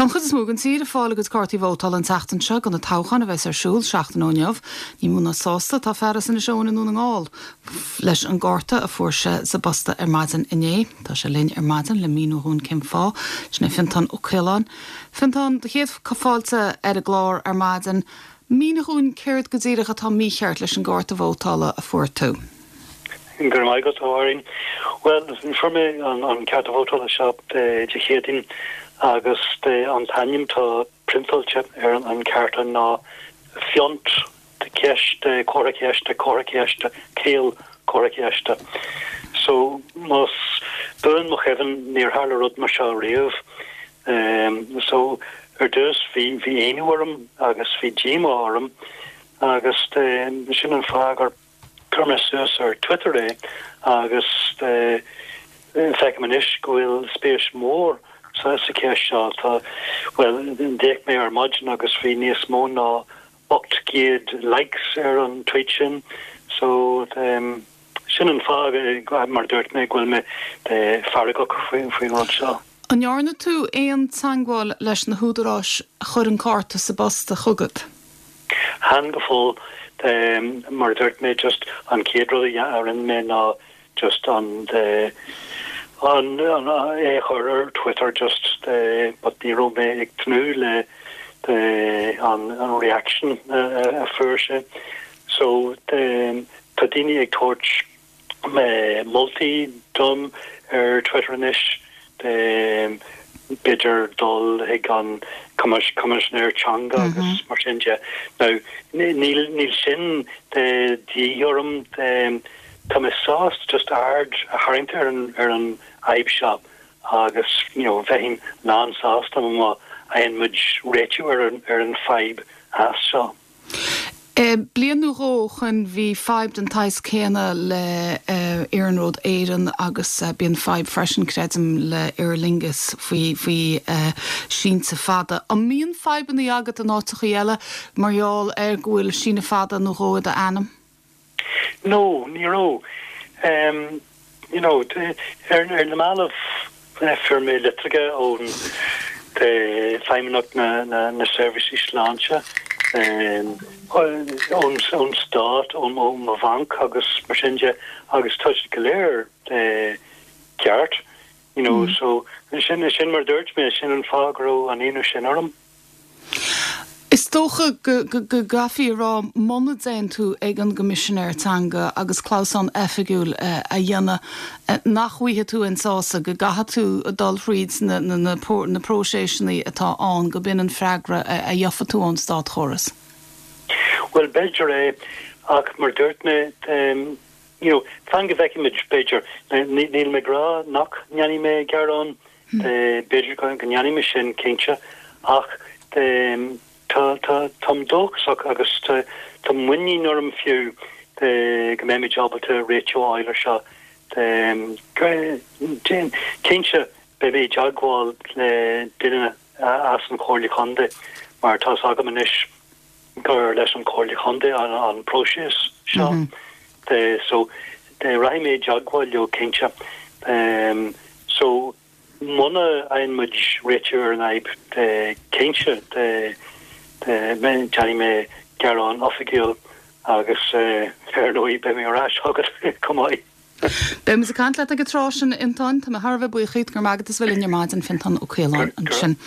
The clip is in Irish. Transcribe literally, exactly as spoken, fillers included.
Tá an chuid is mó den tír ag fáil a gcuid cártaí vótála an tseachtain seo do na toghcháin a bheas ar siúl seachtain ó inniu. Ní mó ná sásta tá fear as Inis Eoghain i nDún na nGall leis an gcárta a fuair sé sa bposta ar maidin inné. Tá sé linn ar maidin le míniú dúinn cén fáth sin é Fintán Ó Caoláin. Fintán do chéad fáilte ar an gclár ar maidin, Mínigh dúinn céard go díreach atá mícheart leis an gcárta vótála a fuair tú. Go raibh maith agat a Mháirín. Well fuair mé an, an cárta vótála seo Dé Céadaoin agus de an t-ainm atá priontáilte ar an, an cárta ná Fiont de ceiste comhartha ceiste comhartha ceiste caol comhartha ceiste. So más buan mo chuimhne níor tharla rud mar seo riamh. Um, so ar dtús bhí bhí ionadh orm agus bhí díomá orm agus de, sin an fáth gur chuir mé suas ar Twitter é agus de, feicim anois go bhfuil spéis mór sa sa cheist seo tá well d'fhéach mé ar maidin agus bhí níos mó ná ocht gcéad likes ar an tweet sin so um, sin an fáth mar dúirt mé go bhfuil mé feargach faoin faoin rud seo. An ndearna tú aon teagmháil leis na húdaráis a chuir an cárta sa bpost chugat? Chan go fóill um, mar dúirt mé just an chéad rud a rinne mé ná just an de an an é chur ar Twitter just de but ní raibh mé ag tnúth le de an an reaction uh, a fuair sé so de tá daoine ag tabhairt mé moltaí dom ar Twitter anois de b'fhéidir dul ag an Coimisinéir Teanga agus mar sin de. Now níl níl sin de dhíth orm de tá mé sásta just aird a tharraingt ar an ar an fhadhb seo agus you know bheinn lán-sásta má fhaigheann muid réiteach ar an ar an fhadhb as seo. E, bliain nó dhó ó shin bhí fadhb den tsaghas céanna le uh, Iarnród Éireann agus uh, bíonn fadhb freisin creidim le Aer Lingus faoi faoi uh, sínte fada. An mbíonn fadhbanna agat in áiteacha eile mar gheall ar go bhfuil síneadh fada nó dhó i d'ainm? No, ní raibh. Um, you know, ar ar na mallaibh fuair mé litreacha ón de Feidhmeannacht na, na, na seirbhísí sláinte um, ón ón stát ón ó mo bhanc agus mar sin de agus tá sé go léir eh, ceart you know mm. so sin sin mar dúirt mé sin an fáth go raibh an ionadh sin orm. Is dócha go gcaithfí a rá muna dtéann tú ag an gCoimisinéir Teanga agus clamhsán oifigiúil a dhéanamh nach bhfaighidh tú aon sásamh go gcaithfidh tú dul thríd na, na, na, na próiseasanna atá ann go b'in an freagra a gheobhaidh tú ón státchóras. Well b'fhéidir é ach mar dúirt mé um, you know, fan go bhfeicfimid b'fhéidir níl mé ag rá nach ndéanfaidh mé gearán hmm. b'fhéidir go ndéanfaidh mé sin cinnte ach um, tá tá táim dóchasach agus tá tá muinín orm fiú go mbeimid ábalta réiteach a fháil air seo cinnte beidh mé i dteagmháil le duine as an Chomhairle Contae mar tá agam anois gur leis an Chomhairle Contae an an próiseas seo mm -hmm. so de rachaidh mé i dteagmháil leo cinnte um, so muna bhfaigheann muid réiteach ar an fhadhb cinnte de déanfaidh mé gearán oifigiúil agus ar ndóigh beidh mé ar ais chugat chomh maith. Beimid ag caint leat ag an tráth sin Fionntán Tá mé thar a bheith buíoch go maith as a bheith linn ar maidin Fiontán Ó Caoláin ansin.